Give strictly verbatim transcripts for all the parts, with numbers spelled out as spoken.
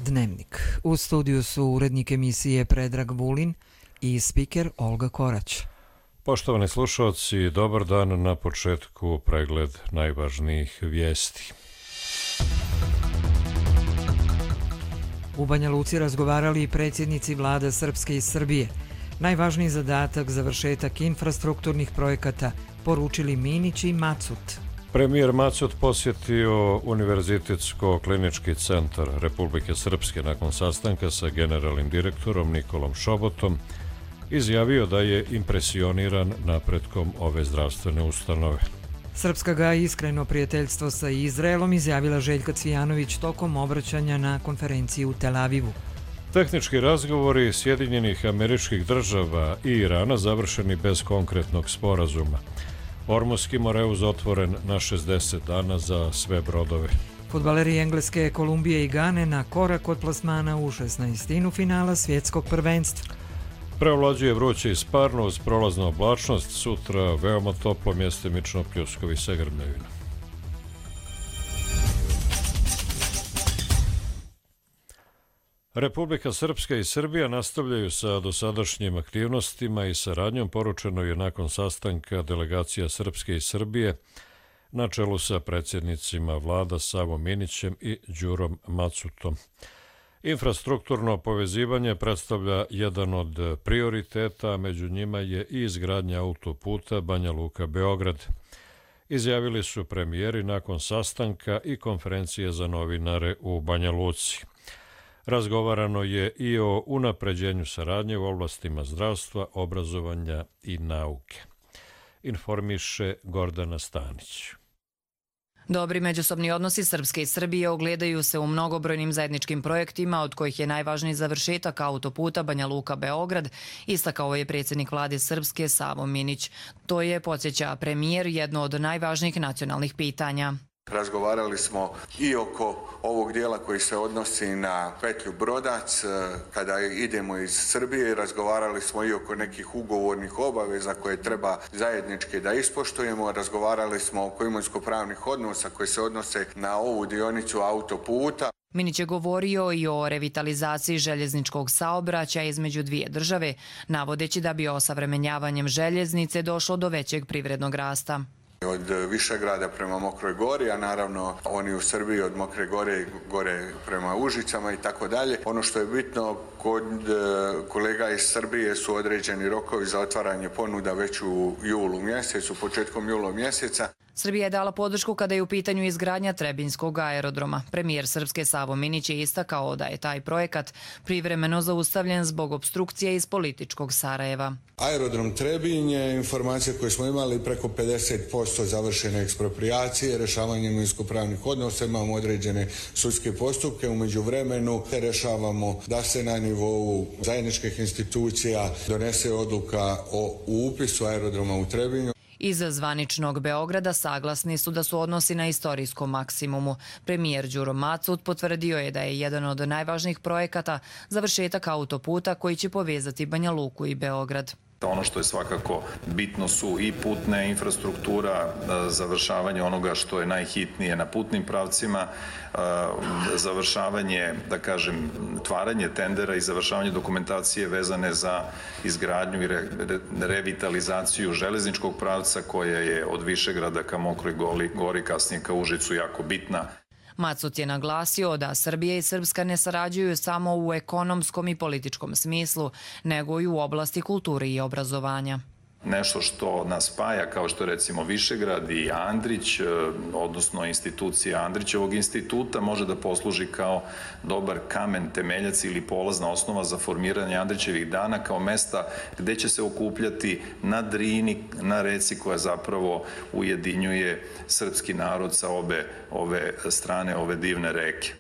Dnevnik. U studiju su urednik emisije Predrag Vulin i spiker Olga Korać. Poštovani slušalci, dobar dan. Na početku pregled najvažnijih vijesti. U Banja Luci razgovarali i predsjednici vlada Srpske i Srbije. Najvažniji zadatak završetak infrastrukturnih projekata poručili Minić i Macut. Premijer Macut posjetio Univerzitetsko-klinički centar Republike Srpske nakon sastanka sa generalnim direktorom Nikolom Šobotom. Izjavio da je impresioniran napretkom ove zdravstvene ustanove. Srpska ga iskreno prijateljstvo sa Izraelom izjavila Željka Cvijanović tokom obraćanja na konferenciji u Tel Avivu. Tehnički razgovori Sjedinjenih Američkih Država i Irana završeni bez konkretnog sporazuma. Ormuski Moreuz otvoren na šezdeset dana za sve brodove. Fudbaleri Engleske, Kolumbije i Gane na korak od plasmana u šesnaestinu finala svjetskog prvenstva. Preovlađuje vruće i sparno uz prolaznu oblačnost, sutra veoma toplo, mjestimično pljuskovi sa grmljevina. Republika Srpska i Srbija nastavljaju sa dosadašnjim aktivnostima i saradnjom, poručeno je nakon sastanka delegacija Srpske i Srbije na čelu sa predsjednicima vlada Savom Minićem i Đurom Macutom. Infrastrukturno povezivanje predstavlja jedan od prioriteta, a među njima je i izgradnja autoputa Banja Luka-Beograd. Izjavili su premijeri nakon sastanka i konferencije za novinare u Banja Luci. Razgovarano je i o unapređenju saradnje u oblastima zdravstva, obrazovanja i nauke. Informiše Gordana Stanić. Dobri međusobni odnosi Srpske i Srbije ogledaju se u mnogobrojnim zajedničkim projektima, od kojih je najvažniji završetak autoputa Banja Luka-Beograd, istakao je predsjednik vlade Srpske Savo Minić. To je, podsjeća premijer, jedno od najvažnijih nacionalnih pitanja. Razgovarali smo i oko ovog dijela koji se odnosi na petlju Brodac, kada idemo iz Srbije, razgovarali smo i oko nekih ugovornih obaveza koje treba zajednički da ispoštujemo, razgovarali smo oko imovinsko-pravnih odnosa koji se odnose na ovu dionicu autoputa. Minić je govorio i o revitalizaciji željezničkog saobraćaja između dvije države, navodeći da bi osavremenjavanjem željeznice došlo do većeg privrednog rasta. Od Višegrada prema Mokroj Gori, a naravno oni u Srbiji od Mokre Gore gore prema Užicama i tako dalje. Ono što je bitno, kod kolega iz Srbije su određeni rokovi za otvaranje ponuda već u julu mjesecu, početkom jula mjeseca. Srbija je dala podršku kada je u pitanju izgradnja Trebinjskog aerodroma. Premijer Srpske Savo Minić je istakao da je taj projekat privremeno zaustavljen zbog opstrukcije iz političkog Sarajeva. Aerodrom Trebinj je informacija koju smo imali preko pedeset posto završene eksproprijacije, rješavanjem imovinsko-pravnih odnosa, imamo određene sudske postupke, u međuvremenu rješavamo da se na nivou zajedničkih institucija donese odluka o upisu aerodroma u Trebinju. Iz zvaničnog Beograda saglasni su da su odnosi na istorijskom maksimumu. Premijer Đuro Macut potvrdio je da je jedan od najvažnijih projekata završetak autoputa koji će povezati Banja Luku i Beograd. Ono što je svakako bitno su i putna infrastruktura, završavanje onoga što je najhitnije na putnim pravcima, završavanje, da kažem, tvaranje tendera i završavanje dokumentacije vezane za izgradnju i revitalizaciju železničkog pravca koja je od Višegrada ka Mokroj Gori, kasnije ka Užicu, jako bitna. Macut je naglasio da Srbija i Srpska ne sarađuju samo u ekonomskom i političkom smislu, nego i u oblasti kulture i obrazovanja. Nešto što nas spaja, kao što recimo Višegrad i Andrić, odnosno institucija Andrićevog instituta, može da posluži kao dobar kamen temeljac ili polazna osnova za formiranje Andrićevih dana kao mesta gde će se okupljati na Drini, na reci koja zapravo ujedinjuje srpski narod sa obe ove strane ove divne reke.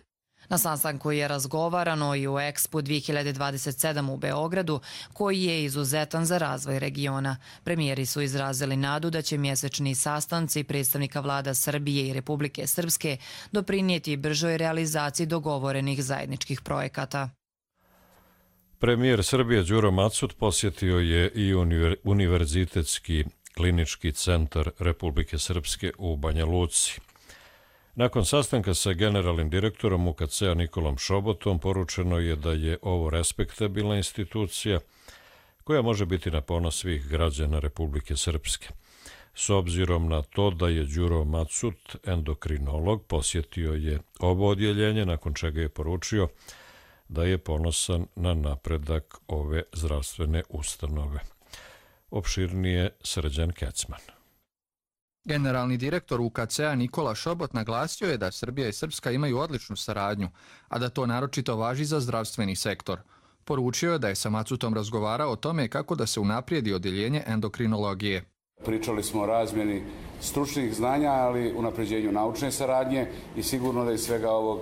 Na sastanku je razgovarano i o Expo dvije hiljade dvadeset sedam u Beogradu, koji je izuzetan za razvoj regiona. Premijeri su izrazili nadu da će mjesečni sastanci predstavnika vlada Srbije i Republike Srpske doprinijeti bržoj realizaciji dogovorenih zajedničkih projekata. Premijer Srbije Đuro Macut posjetio je i Univerzitetski klinički centar Republike Srpske u Banja Luci. Nakon sastanka sa generalnim direktorom U K C-a Nikolom Šobotom poručeno je da je ovo respektabilna institucija koja može biti na ponos svih građana Republike Srpske. S obzirom na to da je Đuro Macut, endokrinolog, posjetio je ovo odjeljenje, nakon čega je poručio da je ponosan na napredak ove zdravstvene ustanove. Opširnije Srđan Kecman. Generalni direktor U K C-a Nikola Šobot naglasio je da Srbija i Srpska imaju odličnu saradnju, a da to naročito važi za zdravstveni sektor. Poručio je da je sa Macutom razgovarao o tome kako da se unaprijedi odjeljenje endokrinologije. Pričali smo o razmjeni stručnih znanja, ali unapređenju naučne saradnje i sigurno da iz svega ovog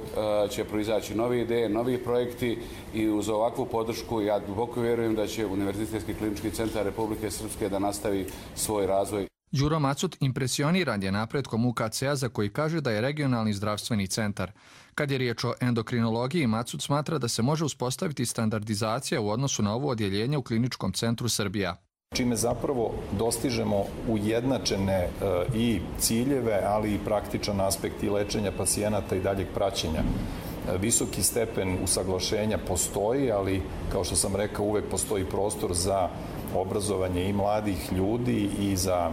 će proizaći nove ideje, novi projekti i uz ovakvu podršku ja duboko vjerujem da će Univerzitetski klinički centar Republike Srpske da nastavi svoj razvoj. Đuro Macut impresioniran je napretkom U K C-a za koji kaže da je regionalni zdravstveni centar. Kad je riječ o endokrinologiji, Macut smatra da se može uspostaviti standardizacija u odnosu na ovo odjeljenje u Kliničkom centru Srbija. Čime zapravo dostižemo ujednačene i ciljeve, ali i praktičan aspekt i lečenja pacijenata i daljeg praćenja. Visoki stepen usaglašenja postoji, ali kao što sam rekao, uvek postoji prostor za obrazovanje i mladih ljudi i za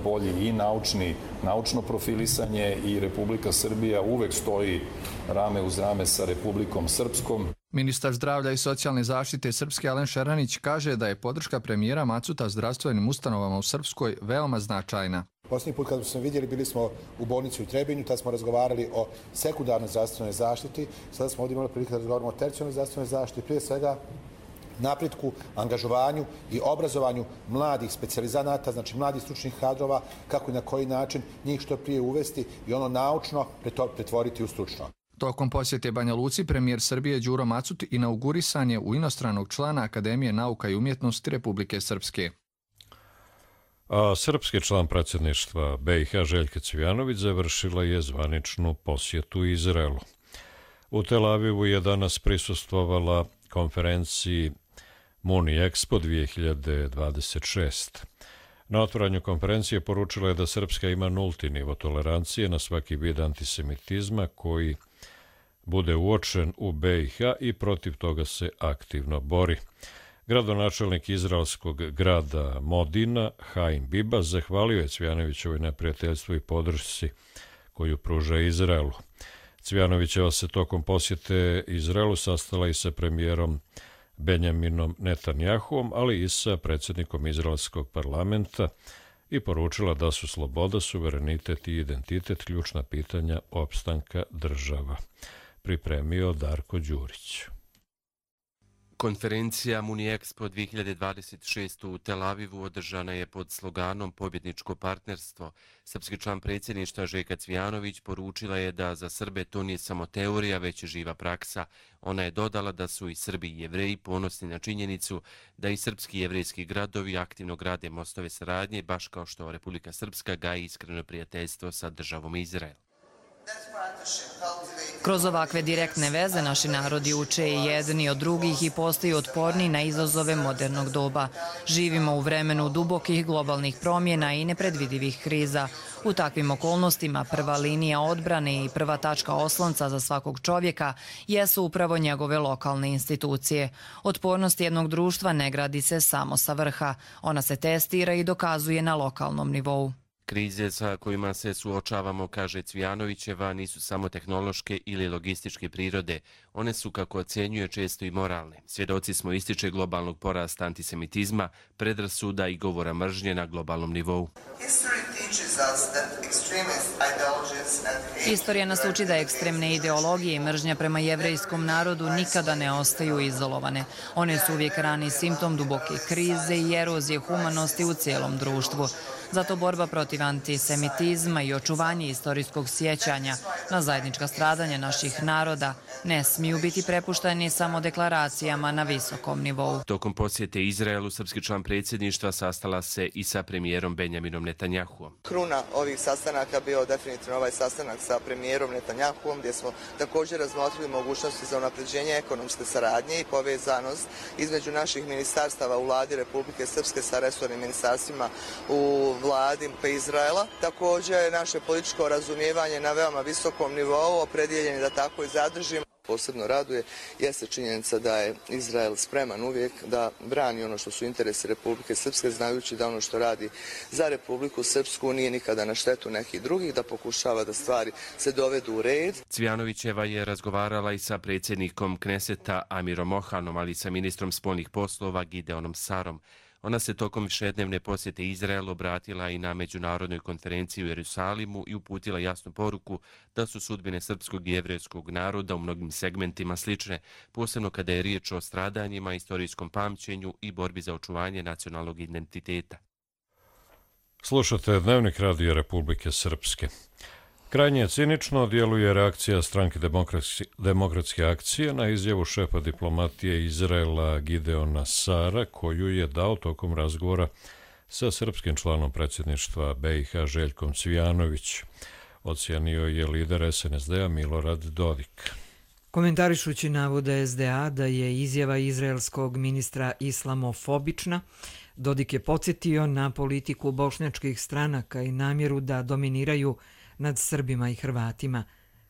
bolji i naučni, naučno profilisanje i Republika Srbija uvek stoji rame uz rame sa Republikom Srpskom. Ministar zdravlja i socijalne zaštite Srpske Alen Šeranić kaže da je podrška premijera Macuta zdravstvenim ustanovama u Srpskoj veoma značajna. Posljednji put kad smo vidjeli, bili smo u bolnici u Trebinju, tada smo razgovarali o sekundarnoj zdravstvenoj zaštiti, sada smo ovdje imali prilike da razgovaramo o tercijarnoj zdravstvenoj zaštiti, prije svega napretku, angažovanju i obrazovanju mladih specijalizanata, znači mladih stručnih kadrova, kako i na koji način njih što prije uvesti i ono naučno pretvoriti u stručno. Tokom posjete Banja Luci, premijer Srbije Đuro Macut inaugurisan je u inostranog člana Akademije nauka i umjetnosti Republike Srpske. A srpski član predsjedništva B i H Željka Cvijanović završila je zvaničnu posjetu Izraelu. U Tel Avivu je danas prisustvovala konferenciji Muni Expo dvije hiljade dvadeset šest. Na otvaranju konferencije poručila je da Srpska ima nulti nivo tolerancije na svaki vid antisemitizma koji bude uočen u B i H i protiv toga se aktivno bori. Gradonačelnik izraelskog grada Modina, Haim Biba, zahvalio je Cvijanovićevoj na prijateljstvu i podršci koju pruža Izraelu. Cvijanovićeva se tokom posjete Izraelu sastala i sa premijerom Benjaminom Netanjahuom, ali i sa predsjednikom izraelskog parlamenta i poručila da su sloboda, suverenitet i identitet ključna pitanja opstanka država. Pripremio Darko Đurić. Konferencija Muni Expo dvije hiljade dvadeset šest u Tel Avivu održana je pod sloganom Pobjedničko partnerstvo. Srpski član predsjedništva Željka Cvijanović poručila je da za Srbe to nije samo teorija, već živa praksa. Ona je dodala da su i Srbi i Jevreji ponosni na činjenicu da i srpski i jevrejski gradovi aktivno grade mostove saradnje, baš kao što Republika Srpska gaji iskreno prijateljstvo sa državom Izrael. Kroz ovakve direktne veze naši narodi uče i jedni od drugih i postaju otporni na izazove modernog doba. Živimo u vremenu dubokih globalnih promjena i nepredvidivih kriza. U takvim okolnostima prva linija odbrane i prva tačka oslonca za svakog čovjeka jesu upravo njegove lokalne institucije. Otpornost jednog društva ne gradi se samo sa vrha. Ona se testira i dokazuje na lokalnom nivou. Krize sa kojima se suočavamo, kaže Cvijanovićeva, nisu samo tehnološke ili logističke prirode. One su, kako ocjenjuje, često i moralne. Svjedoci smo, ističe, globalnog porasta antisemitizma, predrasuda i govora mržnje na globalnom nivou. Istorija nas uči da ekstremne ideologije i mržnja prema jevrejskom narodu nikada ne ostaju izolovane. One su uvijek rani simptom duboke krize i erozije humanosti u cijelom društvu. Zato borba protiv antisemitizma i očuvanje istorijskog sjećanja na zajednička stradanja naših naroda ne smiju biti prepušteni samo deklaracijama na visokom nivou. Tokom posjete Izraelu, srpski član predsjedništva sastala se i sa premijerom Benjaminom Netanjahuom. Kruna ovih sastanaka bio definitivno ovaj sastanak sa premijerom Netanjahuom, gdje smo također razmotrili mogućnosti za unapređenje ekonomske saradnje i povezanost između naših ministarstava u vladi Republike Srpske sa resornim ministarstvima u vladi Izraela. Također naše političko razumijevanje na veoma visokom nivou, opredjeljeni da tako i zadržimo. Posebno raduje jeste činjenica da je Izrael spreman uvijek da brani ono što su interesi Republike Srpske, znajući da ono što radi za Republiku Srpsku nije nikada na štetu nekih drugih, da pokušava da stvari se dovedu u red. Cvjanovićeva je razgovarala i sa predsjednikom Kneseta Amirom Ohanom, ali i sa ministrom spoljnih poslova Gideonom Sarom. Ona se tokom višednevne posjete Izraelu obratila i na međunarodnoj konferenciji u Jerusalimu i uputila jasnu poruku da su sudbine srpskog i jevrejskog naroda u mnogim segmentima slične, posebno kada je riječ o stradanjima, istorijskom pamćenju i borbi za očuvanje nacionalnog identiteta. Slušate Dnevnik Radija Republike Srpske. Krajnje cinično djeluje reakcija stranke Demokratske akcije na izjavu šefa diplomatije Izraela Gideona Sara, koju je dao tokom razgovora sa srpskim članom predsjedništva B i H Željkom Cvijanović. Ocijenio je lider S N S D-a Milorad Dodik. Komentarišući navode S D A da je izjava izraelskog ministra islamofobična, Dodik je podsjetio na politiku bošnjačkih stranaka i namjeru da dominiraju nad Srbima i Hrvatima.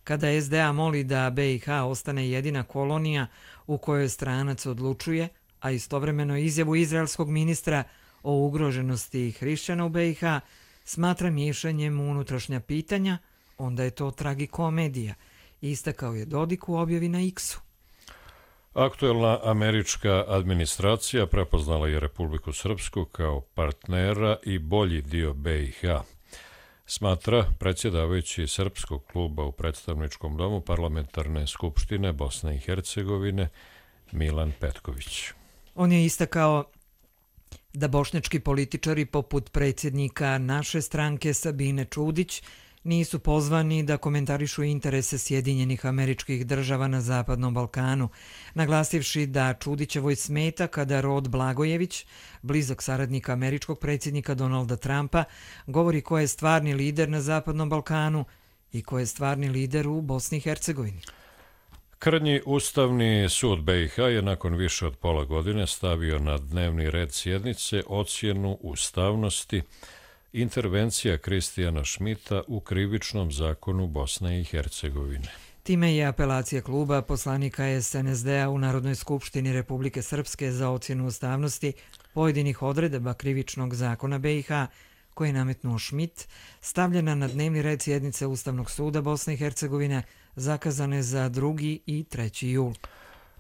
Kada S D A moli da B i H ostane jedina kolonija u kojoj stranac odlučuje, a istovremeno izjavu izraelskog ministra o ugroženosti hrišćana u B i H smatra miješanjem u unutrašnja pitanja, onda je to tragikomedija, istakao je Dodik u objavi na X-u. Aktuelna američka administracija prepoznala je Republiku Srpsku kao partnera i bolji dio B i H, smatra predsjedavajući Srpskog kluba u predstavničkom domu Parlamentarne skupštine Bosne i Hercegovine Milan Petković. On je istakao da bošnjački političari poput predsjednika naše stranke Sabine Čudić nisu pozvani da komentarišu interese Sjedinjenih Američkih Država na Zapadnom Balkanu, naglasivši da Čudićevoj smeta kada Rod Blagojević, blizak saradnik američkog predsjednika Donalda Trumpa, govori ko je stvarni lider na Zapadnom Balkanu i ko je stvarni lider u Bosni i Hercegovini. Krnji Ustavni sud B i H je nakon više od pola godine stavio na dnevni red sjednice ocjenu ustavnosti intervencija Kristijana Šmita u krivičnom zakonu Bosne i Hercegovine. Time je apelacija kluba poslanika S N S D-a u Narodnoj skupštini Republike Srpske za ocjenu ustavnosti pojedinih odredaba krivičnog zakona B i H koje je nametnuo Šmit, stavljena na dnevni red sjednice Ustavnog suda Bosne i Hercegovine zakazane za drugi i treći jul.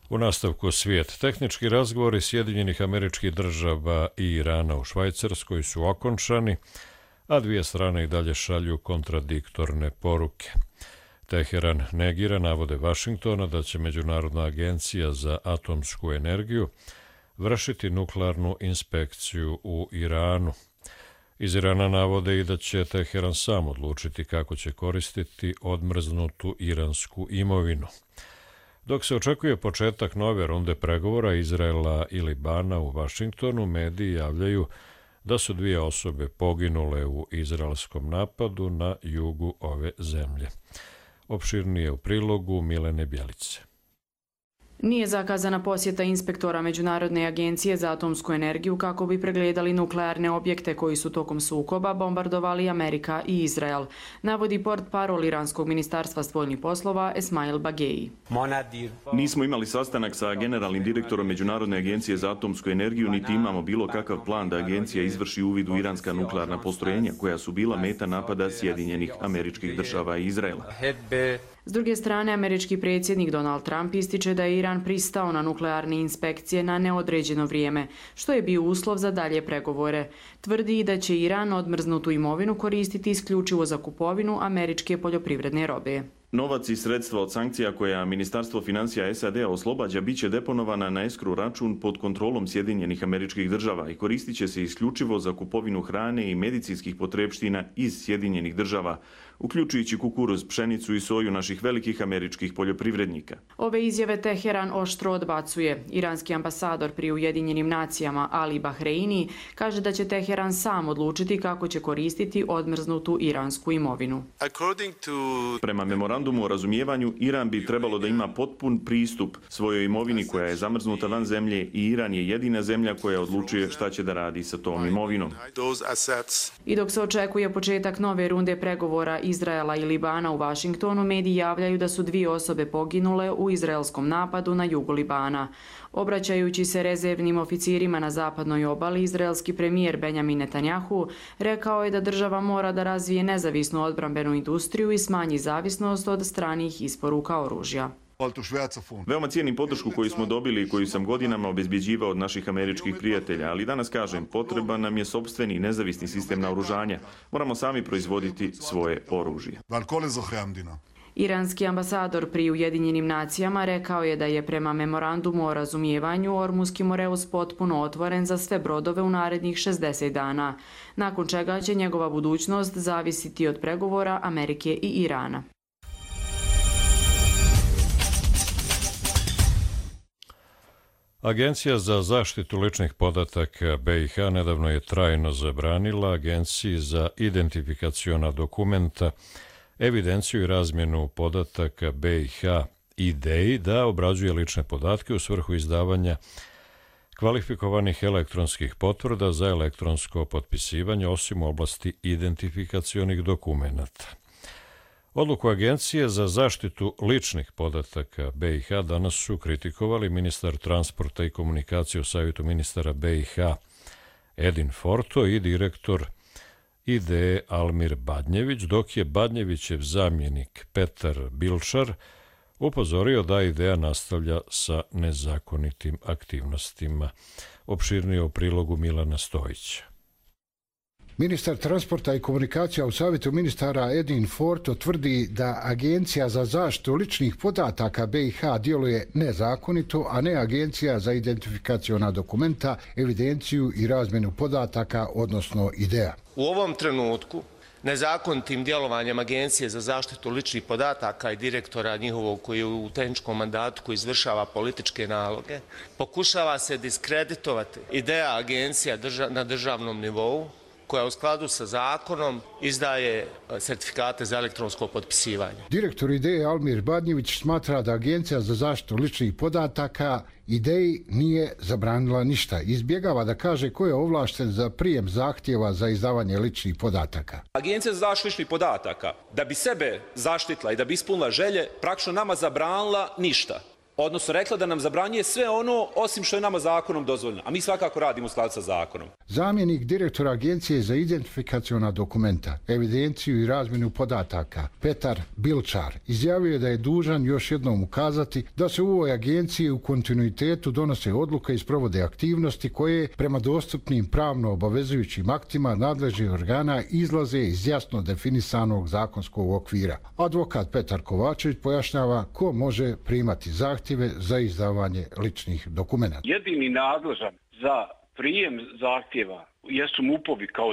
U nastavku svijet. Tehnički razgovori Sjedinjenih Američkih Država i Irana u Švajcarskoj su okončani, a dvije strane i dalje šalju kontradiktorne poruke. Teheran negira navode Vašingtona da će Međunarodna agencija za atomsku energiju vršiti nuklearnu inspekciju u Iranu. Iz Irana navode i da će Teheran sam odlučiti kako će koristiti odmrznutu iransku imovinu. Dok se očekuje početak nove runde pregovora Izraela i Libana u Vašingtonu, mediji javljaju da su dvije osobe poginule u izraelskom napadu na jugu ove zemlje. Opširnije u prilogu Milene Bjelice. Nije zakazana posjeta inspektora Međunarodne agencije za atomsku energiju kako bi pregledali nuklearne objekte koji su tokom sukoba bombardovali Amerika i Izrael, navodi portparol iranskog ministarstva spoljnih poslova Esmail Bageji. Nismo imali sastanak sa generalnim direktorom Međunarodne agencije za atomsku energiju, niti imamo bilo kakav plan da agencija izvrši uvid u iranska nuklearna postrojenja koja su bila meta napada Sjedinjenih Američkih Država i Izraela. S druge strane, američki predsjednik Donald Trump ističe da je Iran pristao na nuklearne inspekcije na neodređeno vrijeme, što je bio uslov za dalje pregovore. Tvrdi i da će Iran odmrznutu imovinu koristiti isključivo za kupovinu američke poljoprivredne robe. Novac i sredstva od sankcija koja Ministarstvo financija S A D-a oslobađa bit će deponovana na escrow račun pod kontrolom Sjedinjenih Američkih Država i koristit će se isključivo za kupovinu hrane i medicinskih potrepština iz Sjedinjenih Država, uključujući kukuruz, pšenicu i soju naših velikih američkih poljoprivrednika. Ove izjave Teheran oštro odbacuje. Iranski ambasador pri Ujedinjenim nacijama Ali Bahreini kaže da će Teheran sam odlučiti kako će koristiti odmrznutu iransku imovinu. Prema memorandumu o razumijevanju, Iran bi trebalo da ima potpun pristup svojoj imovini koja je zamrznuta van zemlje i Iran je jedina zemlja koja odlučuje šta će da radi sa tom imovinom. I dok se očekuje početak nove runde pregovora Izraela i Libana u Vašingtonu, mediji javljaju da su dvije osobe poginule u izraelskom napadu na jugu Libana. Obraćajući se rezervnim oficirima na zapadnoj obali, izraelski premijer Benjamin Netanjahu rekao je da država mora da razvije nezavisnu odbrambenu industriju i smanji zavisnost od stranih isporuka oružja. Veoma cijenim podršku koju smo dobili i koju sam godinama obezbjeđivao od naših američkih prijatelja, ali danas kažem, potreban nam je sopstveni nezavisni sistem naoružanja. Moramo sami proizvoditi svoje oružje. Iranski ambasador pri Ujedinjenim nacijama rekao je da je prema memorandumu o razumijevanju Ormuski Moreus potpuno otvoren za sve brodove u narednih šezdeset dana, nakon čega će njegova budućnost zavisiti od pregovora Amerike i Irana. Agencija za zaštitu ličnih podataka B i H nedavno je trajno zabranila Agenciji za identifikaciona dokumenta, evidenciju i razmjenu podataka B i H I D E I da obrađuje lične podatke u svrhu izdavanja kvalifikovanih elektronskih potvrda za elektronsko potpisivanje, osim u oblasti identifikacionih dokumenata. Odluku Agencije za zaštitu ličnih podataka B i H danas su kritikovali ministar transporta i komunikacije u Savjetu ministara B i H Edin Forto i direktor I D E Almir Badnjević, dok je Badnjevićev zamjenik Petar Bilčar upozorio da I D E A nastavlja sa nezakonitim aktivnostima. Opširnije u prilogu Milana Stojića. Ministar transporta i komunikacija u Savjetu ministara Edin Forto tvrdi da Agencija za zaštitu ličnih podataka B i H djeluje nezakonito, a ne Agencija za identifikaciona dokumenta, evidenciju i razmjenu podataka, odnosno I D E A. U ovom trenutku nezakonitim djelovanjem Agencije za zaštitu ličnih podataka i direktora njihovog koji je u tehničkom mandatu koji izvršava političke naloge, pokušava se diskreditovati I D E A agencija na državnom nivou, koja u skladu sa zakonom izdaje sertifikate za elektronsko potpisivanje. Direktor I D E Almir Badnjević smatra da Agencija za zaštitu ličnih podataka I D E I nije zabranila ništa. Izbjegava da kaže ko je ovlašten za prijem zahtjeva za izdavanje ličnih podataka. Agencija za zaštitu ličnih podataka, da bi sebe zaštitila i da bi ispunila želje, praktično nama zabranila ništa. Odnosno rekla da nam zabranjuje sve ono osim što je nama zakonom dozvoljeno, a mi svakako radimo u skladu sa zakonom. Zamjenik direktora Agencije za identifikaciona dokumenta, evidenciju i razmjenu podataka, Petar Bilčar, izjavio je da je dužan još jednom ukazati da se u ovoj agenciji u kontinuitetu donose odluke i sprovode aktivnosti koje prema dostupnim pravno obavezujućim aktima nadležnih organa izlaze iz jasno definisanog zakonskog okvira. Advokat Petar Kovačević pojašnjava ko može primati zahtjeve za izdavanje ličnih dokumenta. Jedini nadležan za prijem zahtjeva jesu MUP-ovi kao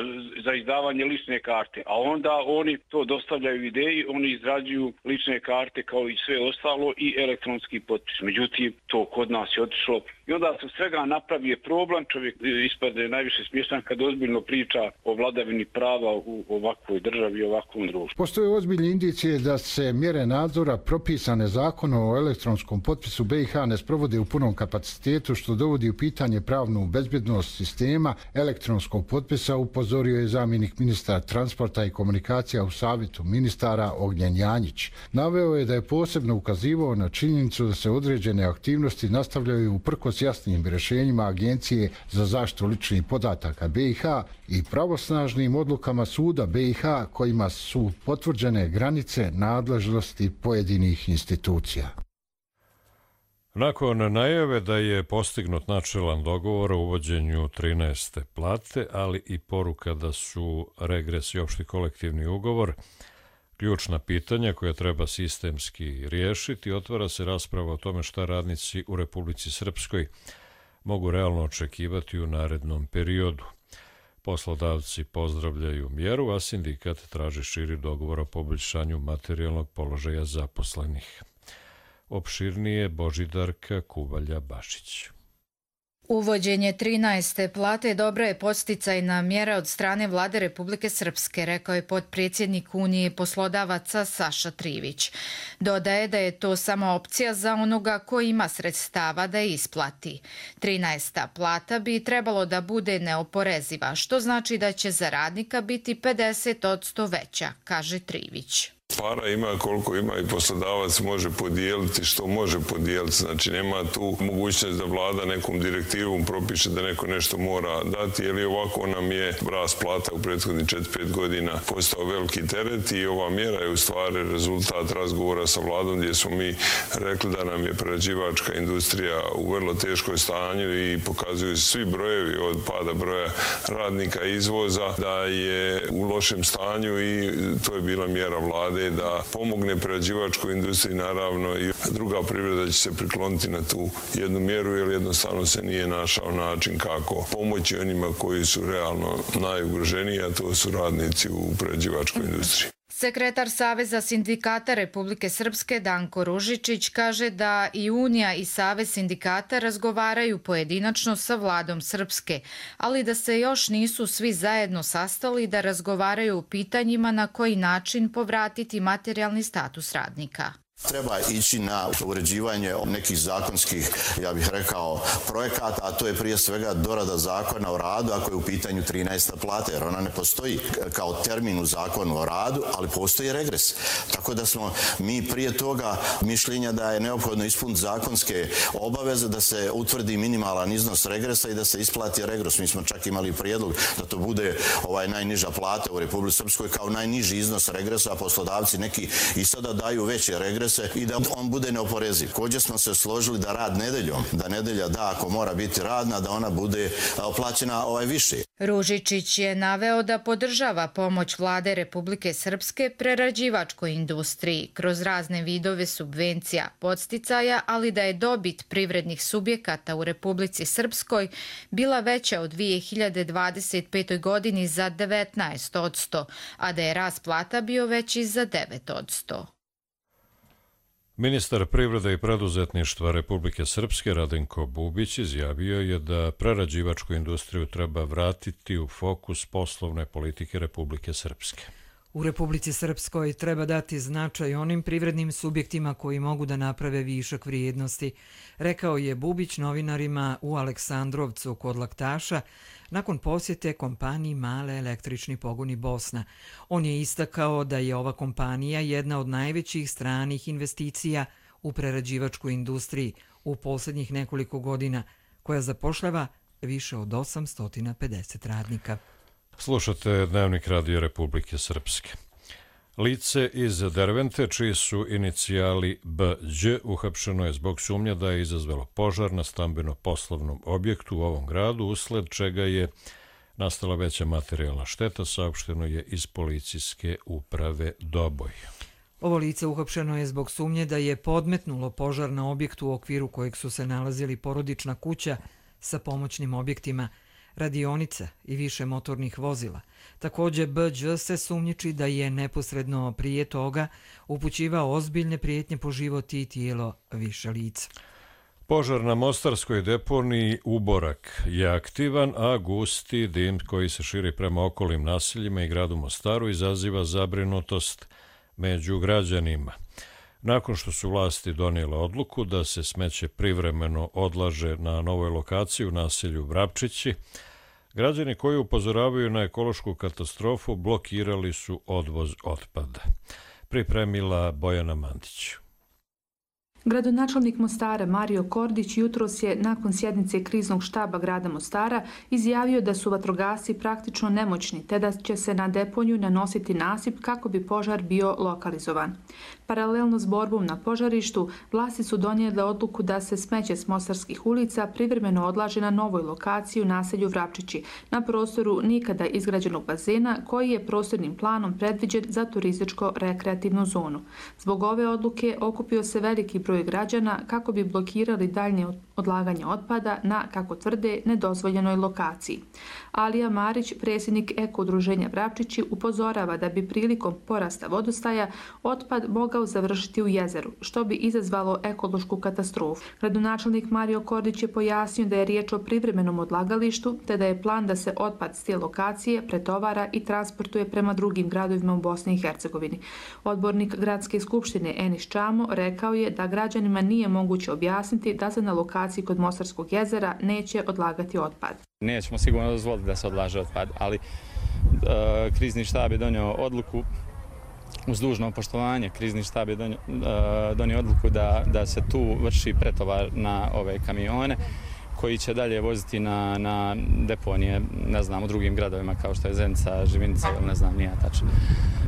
za izdavanje lične karte, a onda oni to dostavljaju ideji, oni izrađuju lične karte kao i sve ostalo i elektronski potpis. Međutim, to kod nas je otišlo i onda se svega napravi problem, čovjek ispade najviše smiješan kad ozbiljno priča o vladavini prava u ovakvoj državi i ovakvom društvu. Postoje ozbiljne indicije da se mjere nadzora propisane zakonom o elektronskom potpisu B i H ne sprovode u punom kapacitetu, što dovodi u pitanje pravnu bezbjednost sistema elektronskog potpisa, upozorio je zamjenik ministra transporta i komunikacija u Savjetu ministara Ognjen Janjić. Naveo je da je posebno ukazivao na činjenicu da se određene aktivnosti nastavljaju uprkos jasnim rješenjima Agencije za zaštitu ličnih podataka B i H i pravosnažnim odlukama suda B i H kojima su potvrđene granice nadležnosti pojedinih institucija. Nakon najave da je postignut načelan dogovor o uvođenju trinaeste plate, ali i poruka da su regres i opšti kolektivni ugovor ključna pitanja koja treba sistemski riješiti. Otvara se rasprava o tome šta radnici u Republici Srpskoj mogu realno očekivati u narednom periodu. Poslodavci pozdravljaju mjeru, a sindikat traži širi dogovor o poboljšanju materijalnog položaja zaposlenih. Opširnije Božidarka Kuvalja-Bašić. Uvođenje trinaeste plate dobra je podsticajna mjera od strane Vlade Republike Srpske, rekao je potpredsjednik Unije poslodavaca Saša Trivić. Dodaje da je to samo opcija za onoga ko ima sredstava da je isplati. trinaesta plata bi trebalo da bude neoporeziva, što znači da će za radnika biti pedeset posto veća, kaže Trivić. Para ima koliko ima i poslodavac može podijeliti što može podijeliti. Znači nema tu mogućnost da vlada nekom direktivom propiše da neko nešto mora dati, jer i ovako nam je rast plata u prethodnih četiri pet godina postao veliki teret i ova mjera je u stvari rezultat razgovora sa vladom gdje smo mi rekli da nam je prerađivačka industrija u vrlo teškoj stanju i pokazuju svi brojevi od pada broja radnika i izvoza da je u lošem stanju i to je bila mjera vlade da pomogne prerađivačkoj industriji, naravno i druga privreda će se prikloniti na tu jednu mjeru, jer jednostavno se nije našao način kako pomoći onima koji su realno najugroženiji, a to su radnici u prerađivačkoj industriji. Sekretar Saveza sindikata Republike Srpske Danko Ružičić kaže da i Unija i Savez sindikata razgovaraju pojedinačno sa vladom Srpske, ali da se još nisu svi zajedno sastali da razgovaraju o pitanjima na koji način povratiti materijalni status radnika. Treba ići na uređivanje nekih zakonskih, ja bih rekao, projekata, a to je prije svega dorada zakona o radu, ako je u pitanju trinaesta plata, jer ona ne postoji kao termin u zakonu o radu, ali postoji regres. Tako da smo mi prije toga mišljenja da je neophodno ispuniti zakonske obaveze, da se utvrdi minimalan iznos regresa i da se isplati regres. Mi smo čak imali prijedlog da to bude ovaj najniža plata u Republici Srpskoj kao najniži iznos regresa, a poslodavci neki i sada daju veće regrese i da on bude neoporeziv. Također smo se složili da rad nedeljom, da nedelja da ako mora biti radna, da ona bude plaćena ovaj više. Ružičić je naveo da podržava pomoć Vlade Republike Srpske prerađivačkoj industriji kroz razne vidove subvencija, podsticaja, ali da je dobit privrednih subjekata u Republici Srpskoj bila veća u dvije hiljade dvadeset petoj godini za devetnaest posto, a da je rast plata bio veći za devet posto. Ministar privrede i preduzetništva Republike Srpske Radenko Bubić izjavio je da prerađivačku industriju treba vratiti u fokus poslovne politike Republike Srpske. U Republici Srpskoj treba dati značaj onim privrednim subjektima koji mogu da naprave višak vrijednosti, rekao je Bubić novinarima u Aleksandrovcu kod Laktaša nakon posjete kompaniji Male električni pogoni Bosna. On je istakao da je ova kompanija jedna od najvećih stranih investicija u prerađivačkoj industriji u posljednjih nekoliko godina, koja zapošljava više od osamsto pedeset radnika. Slušate Dnevnik Radio Republike Srpske. Lice iz Dervente, čiji su inicijali B Đ, uhapšeno je zbog sumnja da je izazvalo požar na stambeno-poslovnom objektu u ovom gradu, usled čega je nastala veća materijalna šteta, saopšteno je iz policijske uprave Doboj. Ovo lice uhapšeno je zbog sumnje da je podmetnulo požar na objektu u okviru kojeg su se nalazili porodična kuća sa pomoćnim objektima, radionica i više motornih vozila. Također B Đ se sumnjiči da je neposredno prije toga upućivao ozbiljne prijetnje po život i tijelo više lica. Požar na mostarskoj deponiji Uborak je aktivan, a gusti dim koji se širi prema okolnim naseljima i gradu Mostaru izaziva zabrinutost među građanima. Nakon što su vlasti donijele odluku da se smeće privremeno odlaže na novoj lokaciji u naselju Vrapčići, građani koji upozoravaju na ekološku katastrofu blokirali su odvoz otpada. Pripremila Bojana Mandić. Gradonačelnik Mostara Mario Kordić jutros je nakon sjednice kriznog štaba grada Mostara izjavio da su vatrogasci praktično nemoćni te da će se na deponiju nanositi nasip kako bi požar bio lokalizovan. Paralelno s borbom na požarištu, vlasti su donijele odluku da se smeće s mostarskih ulica privremeno odlaže na novoj lokaciji u naselju Vrapčići, na prostoru nikada izgrađenog bazena koji je prostornim planom predviđen za turističko-rekreativnu zonu. Zbog ove odluke okupio se veliki broj građana kako bi blokirali daljnje odlaganje otpada na, kako tvrde, nedozvoljenoj lokaciji. Alija Marić, predsjednik Eko-udruženja Vrapčići, upozorava da bi prilikom porasta vodostaja otpad mogao završiti u jezeru, što bi izazvalo ekološku katastrofu. Gradonačelnik Mario Kordić je pojasnio da je riječ o privremenom odlagalištu, te da je plan da se otpad s te lokacije pretovara i transportuje prema drugim gradovima u Bosni i Hercegovini. Odbornik Gradske skupštine Enis Čamo rekao je da građanima nije moguće objasniti da se na lokaciji kod Mostarskog jezera neće odlagati otpad. Nećemo sigurno dozvoliti da se odlaže otpad, ali e, krizni štab je donio odluku uz dužno poštovanje. Krizni štab je donio, e, donio odluku da, da se tu vrši pretovar na ove kamione koji će dalje voziti na, na deponije, ne znam, u drugim gradovima kao što je Zenica, Živinica ili ne znam, nije tačno.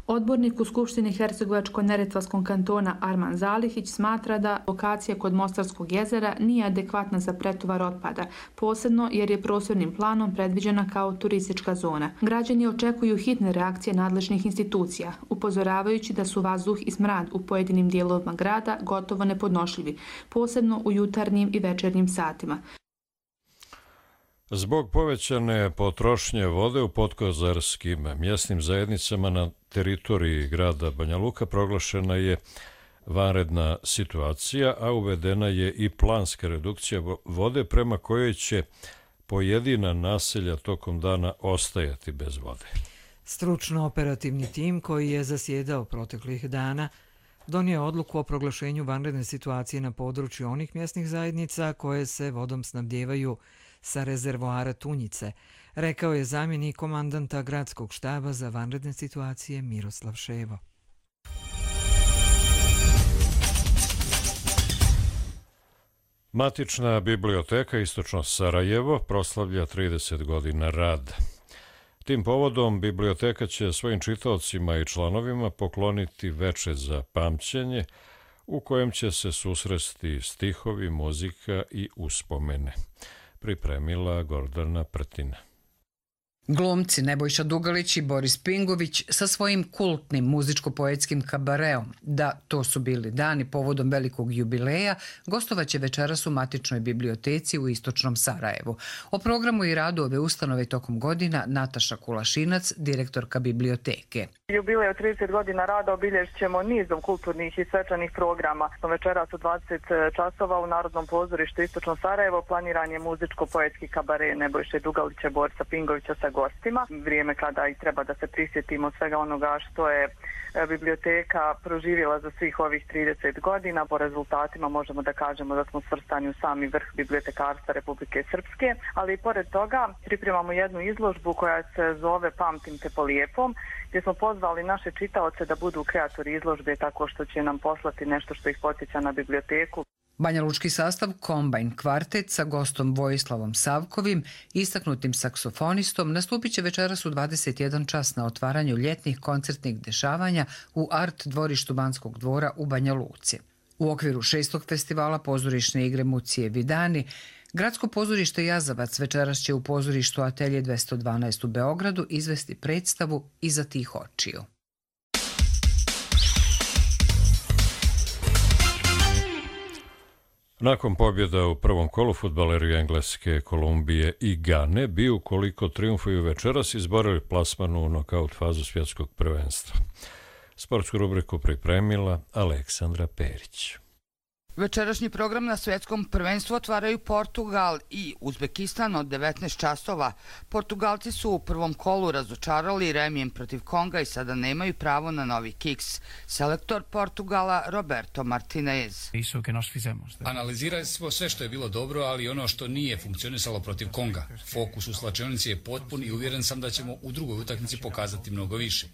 Odbornik u Skupštini Hercegovačko-neretvanskom kantona Arman Zalihić smatra da lokacija kod Mostarskog jezera nije adekvatna za pretovar otpada, posebno jer je prostornim planom predviđena kao turistička zona. Građani očekuju hitne reakcije nadležnih institucija, upozoravajući da su vazduh i smrad u pojedinim dijelovima grada gotovo nepodnošljivi, posebno u jutarnjim i večernjim satima. Zbog povećane potrošnje vode u podkozarskim mjesnim zajednicama na teritoriji grada Banja Luka proglašena je vanredna situacija, a uvedena je i planska redukcija vode prema kojoj će pojedina naselja tokom dana ostajati bez vode. Stručno-operativni tim koji je zasjedao proteklih dana donio odluku o proglašenju vanredne situacije na području onih mjesnih zajednica koje se vodom snabdijevaju sa rezervoara Tunjice, rekao je zamjenik komandanta Gradskog štaba za vanredne situacije Miroslav Ševo. Matična biblioteka Istočno Sarajevo proslavlja trideset godina rada. Tim povodom biblioteka će svojim čitaocima i članovima pokloniti veče za pamćenje u kojem će se susresti stihovi, muzika i uspomene. Pripremila Gordana Prtina. Glumci Nebojša Dugalić i Boris Pingović sa svojim kultnim muzičko-poetskim kabareom Da, to su bili dani povodom velikog jubileja gostovaće večeras u Matičnoj biblioteci u Istočnom Sarajevu. O programu i radu ove ustanove tokom godina Nataša Kulašinac, direktorka biblioteke. Jubilej od trideset godina rada obilježit ćemo nizom kulturnih i svečanih programa. Večeras u dvadeset časova u Narodnom pozorištu Istočno Sarajevo planiran je muzičko-poetski kabare Nebojše Dugalića, Borisa Pingovića sa gostima. Vrijeme kada i treba da se prisjetimo svega onoga što je biblioteka proživjela za svih ovih trideset godina. Po rezultatima možemo da kažemo da smo svrstani u sami vrh bibliotekarstva Republike Srpske, ali i pored toga pripremamo jednu izložbu koja se zove Pamtim te po lijepom, gdje smo pozvali naše čitaoce da budu kreatori izložbe tako što će nam poslati nešto što ih podsjeća na biblioteku. Banjalučki sastav Kombajn kvartet sa gostom Vojislavom Savkovim, istaknutim saksofonistom, nastupit će večeras u dvadeset jedan čas na otvaranju ljetnih koncertnih dešavanja u Art dvorištu Banskog dvora u Banja Luci. U okviru šestog festivala pozorišne igre Mucije Vidani, Gradsko pozorište Jazavac večeras će u pozorištu Atelje dvesta dvanaest u Beogradu izvesti predstavu Iza tih očiju. Nakon pobjeda u prvom kolu fudbaleri Engleske, Kolumbije i Gane bi, ukoliko triumfuju večeras, izborili plasman u nokaut fazu svjetskog prvenstva. Sportsku rubriku pripremila Aleksandra Perić. Večerašnji program na svjetskom prvenstvu otvaraju Portugal i Uzbekistan od devetnaest časova. Portugalci su u prvom kolu razočarali remijem protiv Konga i sada nemaju pravo na novi kiks. Selektor Portugala Roberto Martinez. Analizirali smo sve što je bilo dobro, ali ono što nije funkcionisalo protiv Konga. Fokus u slačionici je potpun i uvjeren sam da ćemo u drugoj utakmici pokazati mnogo više.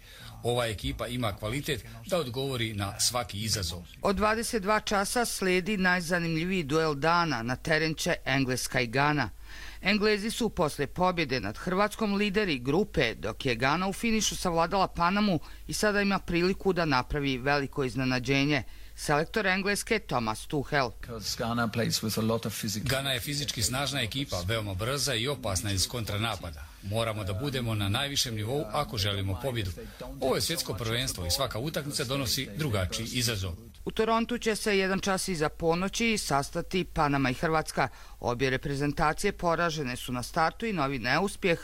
Ova ekipa ima kvalitet da odgovori na svaki izazov. Od dvadeset dva časa slijedi sledi najzanimljiviji duel dana, na teren će Engleska i Gana. Englezi su posle pobjede nad Hrvatskom lideri grupe, dok je Gana u finišu savladala Panamu i sada ima priliku da napravi veliko iznenađenje. Selektor Engleske Thomas Tuchel. Gana je fizički snažna ekipa, veoma brza i opasna iz kontranapada. Moramo da budemo na najvišem nivou ako želimo pobjedu. Ovo je svjetsko prvenstvo i svaka utakmica donosi drugačiji izazov. U Torontu će se jedan čas iza ponoći sastati Panama i Hrvatska. Obje reprezentacije poražene su na startu i novi neuspjeh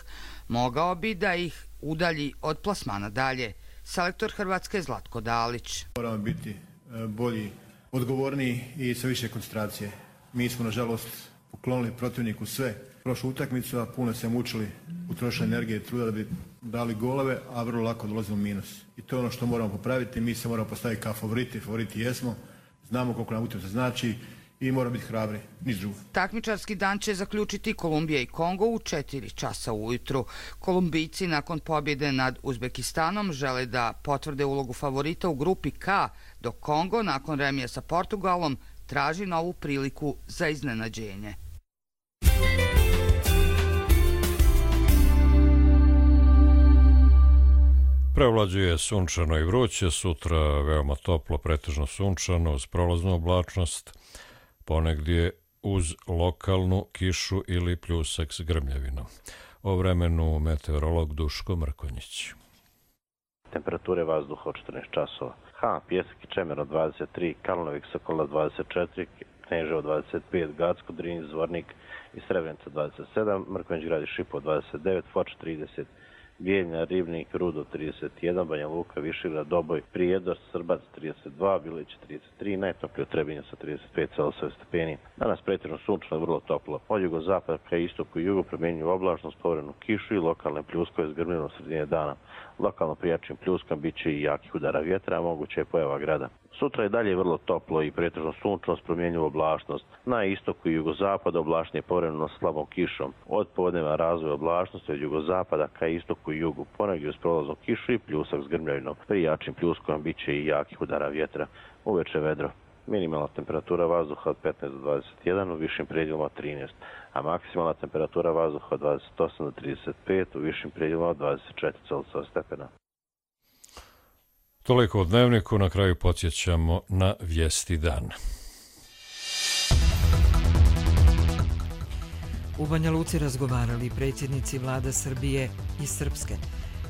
mogao bi da ih udalji od plasmana dalje. Selektor Hrvatske Zlatko Dalić. Moramo biti bolji, odgovorniji i sa više koncentracije. Mi smo, nažalost, poklonili protivniku sve. Prošlu utakmicu, a puno se mučili, utrošili energije i truda da bi dali golove, a vrlo lako dolazimo u minus. I to je ono što moramo popraviti. Mi se moramo postaviti kao favoriti, favoriti jesmo, znamo koliko nam utakmica znači i moramo biti hrabri, niš drugo. Takmičarski dan će zaključiti Kolumbija i Kongo u četiri časa ujutru. Kolumbijci nakon pobjede nad Uzbekistanom žele da potvrde ulogu favorita u grupi K, dok Kongo nakon remija sa Portugalom traži novu priliku za iznenađenje. Prevlađuje sunčano i vruće, sutra veoma toplo, pretežno sunčano, uz prolaznu oblačnost, ponegdje uz lokalnu kišu ili pljusak s grmljavinom. O vremenu meteorolog Duško Mrkonjić. Temperature vazduha od četrnaest časova. Ha, Pjesak i Čemer od dvadeset tri, Karlovik Sokola dvadeset četiri, Kneževo dvadeset pet, Gacko, Drinj, Zvornik i Srebrenica dvadeset sedam, Mrkonjić Grad i Šipovo dvadeset devet, Foč trideset, Bijeljina, Ribnik, Rudo trideset jedan, Banja Luka, Višegrad, Doboj, Prijedor, Srbac trideset dva, Bilić trideset tri, najtoplije u Trebinju sa trideset pet Celzijusovih stepeni. Danas pretežno sunčano i vrlo toplo. Od jugozapada ka istoku i jugu primjenjuju oblačnost, povremenu kišu i lokalne pljuskove s grmljavinom sredine dana. Lokalno prijačim pljuskom bit će i jakih udara vjetra, a moguće je pojava grada. Sutra je dalje vrlo toplo i pretežno sunčano s promjenjivu oblačnost. Na istoku i jugozapadu oblačenje povremeno s slabom kišom. Od podneva razvoja oblačnosti od jugozapada ka istoku i jugu, ponegdje uz prolaznu kišu i pljusak s grmljavinom. Pri jačim pljuskom bit će i jakih udara vjetra. Uveče vedro. Minimalna temperatura vazduha od petnaest do dvadeset jedan, u višim predjelima trinaest, a maksimalna temperatura vazduha od dvadeset osam do trideset pet, u višim predjelima od dvadeset četiri Celzijusova stepena. Toliko o dnevniku, na kraju podsjećamo na vijesti dana. U Banja Luci razgovarali predsjednici vlada Srbije i Srpske.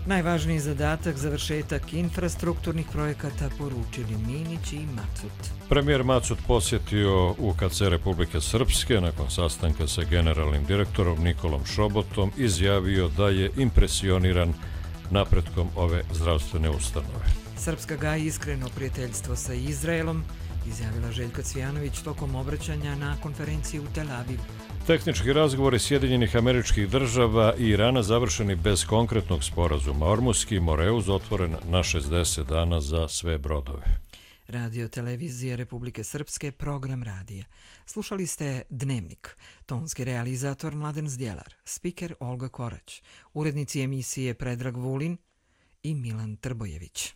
Najvažniji zadatak završetak infrastrukturnih projekata poručili Minić i Macut. Premijer Macut posjetio U K C Republike Srpske nakon sastanka sa generalnim direktorom Nikolom Šobotom, izjavio da je impresioniran napretkom ove zdravstvene ustanove. Srpska gaji iskreno prijateljstvo sa Izraelom, izjavila Željka Cvijanović tokom obraćanja na konferenciji u Tel Avivu. Tehnički razgovori Sjedinjenih Američkih Država i Irana završeni bez konkretnog sporazuma. Ormuski Moreuz otvoren na šezdeset dana za sve brodove. Radio Televizije Republike Srpske, program radija. Slušali ste Dnevnik. Tonski realizator Mladen Zdjelar, spiker Olga Korać, urednici emisije Predrag Vulin i Milan Trbojević.